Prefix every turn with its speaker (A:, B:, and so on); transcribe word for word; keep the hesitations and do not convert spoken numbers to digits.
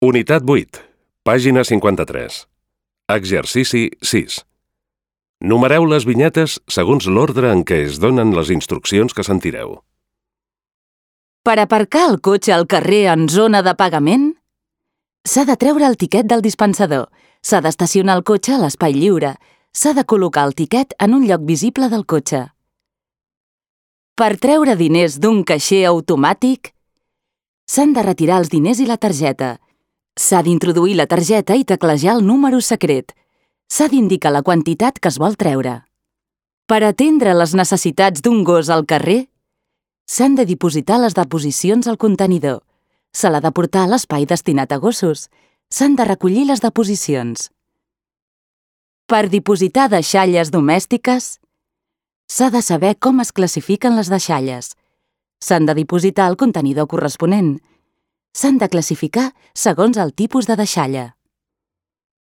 A: Unitat vuit, pàgina cinquanta-tres. Exercici sis. Numereu les vinyetes segons l'ordre en què es donen les instruccions que sentireu.
B: Per aparcar el cotxe al carrer en zona de pagament, s'ha de treure el tiquet del dispensador, s'ha d'estacionar el cotxe a l'espai lliure, s'ha de col·locar el tiquet en un lloc visible del cotxe. Per treure diners d'un caixer automàtic, s'han de retirar els diners i la targeta, s'ha d'introduir la targeta i teclejar el número secret, s'ha d'indicar la quantitat que es vol treure. Per atendre les necessitats d'un gos al carrer, s'han de dipositar les deposicions al contenidor, se l'ha de portar a l'espai destinat a gossos, s'han de recollir les deposicions. Per dipositar deixalles domèstiques, s'ha de saber com es classifiquen les deixalles, s'han de dipositar al contenidor corresponent, s'han de classificar segons el tipus de deixalla.